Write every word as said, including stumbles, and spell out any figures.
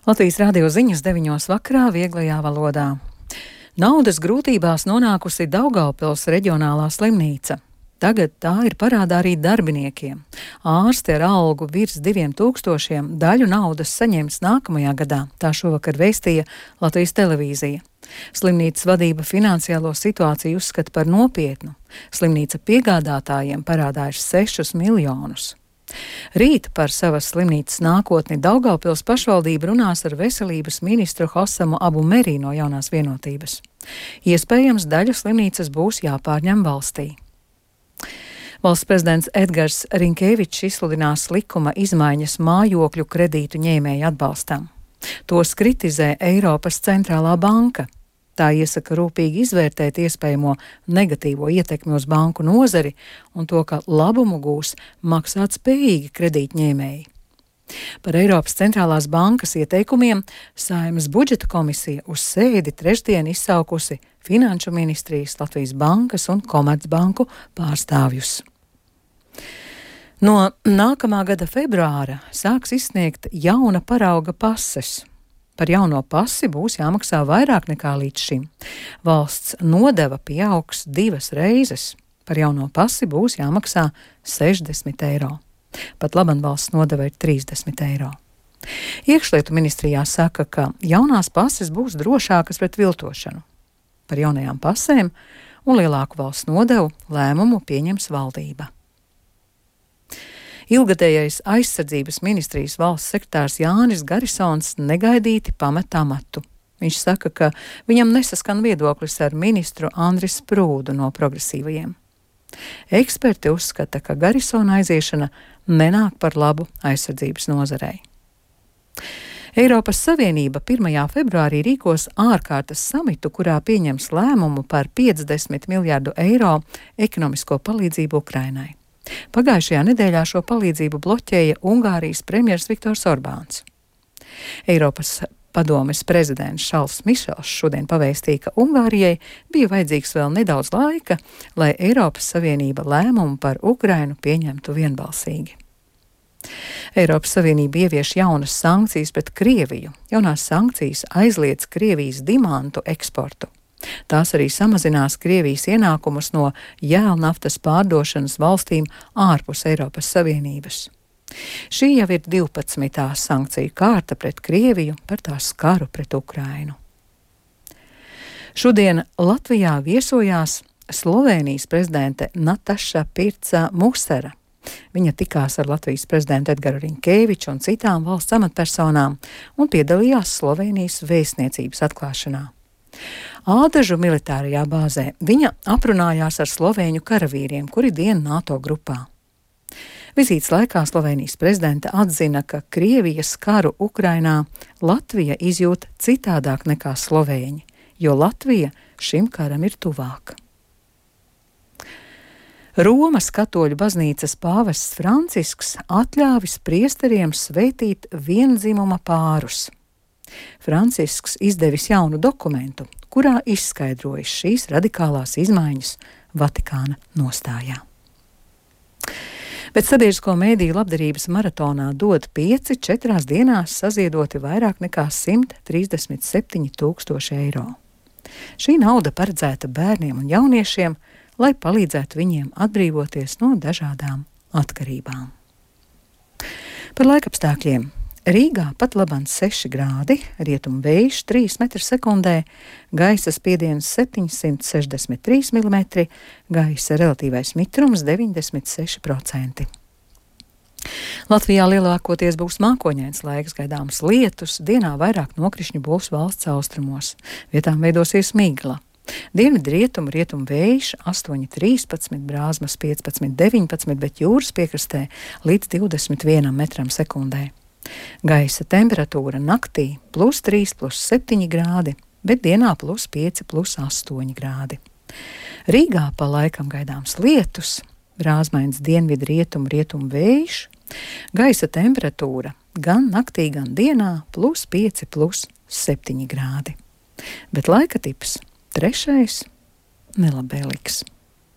Latvijas radio ziņas deviņos vakarā vieglajā valodā. Naudas grūtībās nonākusi Daugavpils reģionālā slimnīca. Tagad tā ir parādā arī darbiniekiem. Ārsti ar algu virs diviem tūkstošiem daļu naudas saņems nākamajā gadā, tā šovakar vēstīja Latvijas televīzija. Slimnīcas vadība finansiālo situāciju uzskata par nopietnu. Slimnīca piegādātājiem parādā ir sešus miljonus. Rīt par savas slimnīcas nākotni Daugavpils pašvaldība runās ar veselības ministru Hosamu Abu Merī no Jaunās vienotības. Iespējams, daļa slimnīcas būs jāpārņem valstī. Valsts prezidents Edgars Rinkēvičs izsludinās likuma izmaiņas mājokļu kredītu ņēmēju atbalstam. Tos kritizē Eiropas centrālā banka. Tā iesaka rūpīgi izvērtēt iespējamo negatīvo ietekmi uz banku nozari un to, ka labumu gūs maksāt spējīgi kredītņēmēji. Par Eiropas centrālās bankas ieteikumiem Saeimas budžeta komisija uz sēdi trešdien izsaukusi Finanšu ministrijas, Latvijas bankas un Komercbanku pārstāvjus. No nākamā gada februāra sāks izsniegt jauna parauga pases. Par jauno pasi būs jāmaksā vairāk nekā līdz šim. Valsts nodeva pieaugs divas reizes. Par jauno pasi būs jāmaksā sešdesmit eiro. Pat laban valsts nodeva ir trīsdesmit eiro. Iekšlietu ministrijā saka, ka jaunās pases būs drošākas pret viltošanu. Par jaunajām pasēm un lielāku valsts nodevu lēmumu pieņems valdība. Ilgadējais aizsardzības ministrijas valsts sekretārs Jānis Garisons negaidīti pamet amatu. Viņš saka, ka viņam nesaskan viedoklis ar ministru Andris Sprūdu no progresīvajiem. Eksperti uzskata, ka Garisona aiziešana nenāk par labu aizsardzības nozarei. Eiropas Savienība pirmajā februārī rīkos ārkārtas samitu, kurā pieņems lēmumu par piecdesmit miljārdu eiro ekonomisko palīdzību Ukrainai. Pagājušajā nedēļā šo palīdzību bloķēja Ungārijas premjers Viktors Orbāns. Eiropas padomes prezidents Šarls Mišels šodien pavēstīja, ka Ungārijai bija vajadzīgs vēl nedaudz laika, lai Eiropas Savienība lēmumu par Ukrainu pieņemtu vienbalsīgi. Eiropas Savienība ievieš jaunas sankcijas pret Krieviju. Jaunās sankcijas aizliedz Krievijas dimantu eksportu. Tās arī samazinās Krievijas ienākumus no jēlnaftas pārdošanas valstīm ārpus Eiropas Savienības. Šī jau ir divpadsmitā sankciju kārta pret Krieviju par tās karu pret Ukrainu. Šodien Latvijā viesojās Slovēnijas prezidente Nataša Pirca Musera. Viņa tikās ar Latvijas prezidentu Edgaru Rinkēviču un citām valsts amatpersonām un piedalījās Slovēnijas vēstniecības atklāšanā. Ādažu militārajā bāzē viņa aprunājās ar slovēņu karavīriem, kuri dien NATO grupā. Vizītes laikā Slovēnijas prezidente atzina, ka Krievijas karu Ukrainā Latvija izjūt citādāk nekā slovēņi, jo Latvija šim karam ir tuvāka. Romas katoļu baznīcas pāvests Francisks atļāvis priesteriem svētīt viendzimuma pārus. Francisks izdevis jaunu dokumentu, kurā izskaidrojas šīs radikālās izmaiņas Vatikāna nostājā. Bet sabiedrisko mēdīju labdarības maratonā dod pieci četrās dienās saziedoti vairāk nekā simt trīsdesmit septiņi tūkstoši eiro. Šī nauda paredzēta bērniem un jauniešiem, lai palīdzētu viņiem atbrīvoties no dažādām atkarībām. Par laikapstākļiem. Rīgā pat laban seši grādi, rietumu vējš trīs metri sekundē, gaisa spiediens septiņsimt sešdesmit trīs milimetri, gaisa relatīvais mitrums deviņdesmit seši procenti. Latvijā lielākoties būs mākoņains laiks, gaidāms lietus, dienā vairāk nokrišņu būs valsts austrumos, vietām veidosies migla. Dienvidu rietumu, rietumu vējš astoņi trīspadsmit, brāzmas piecpadsmit deviņpadsmit, bet jūras piekrastē līdz divdesmit vienam metram sekundē. Gaisa temperatūra naktī plus trīs, plus septiņi grādi, bet dienā plus pieci, plus astoņi grādi. Rīgā pa laikam gaidāms lietus, brāzmains dienvidu rietumu, rietumu vējš, gaisa temperatūra gan naktī, gan dienā plus pieci, plus septiņi grādi. Bet laika tips trešais nelabvēlīgs.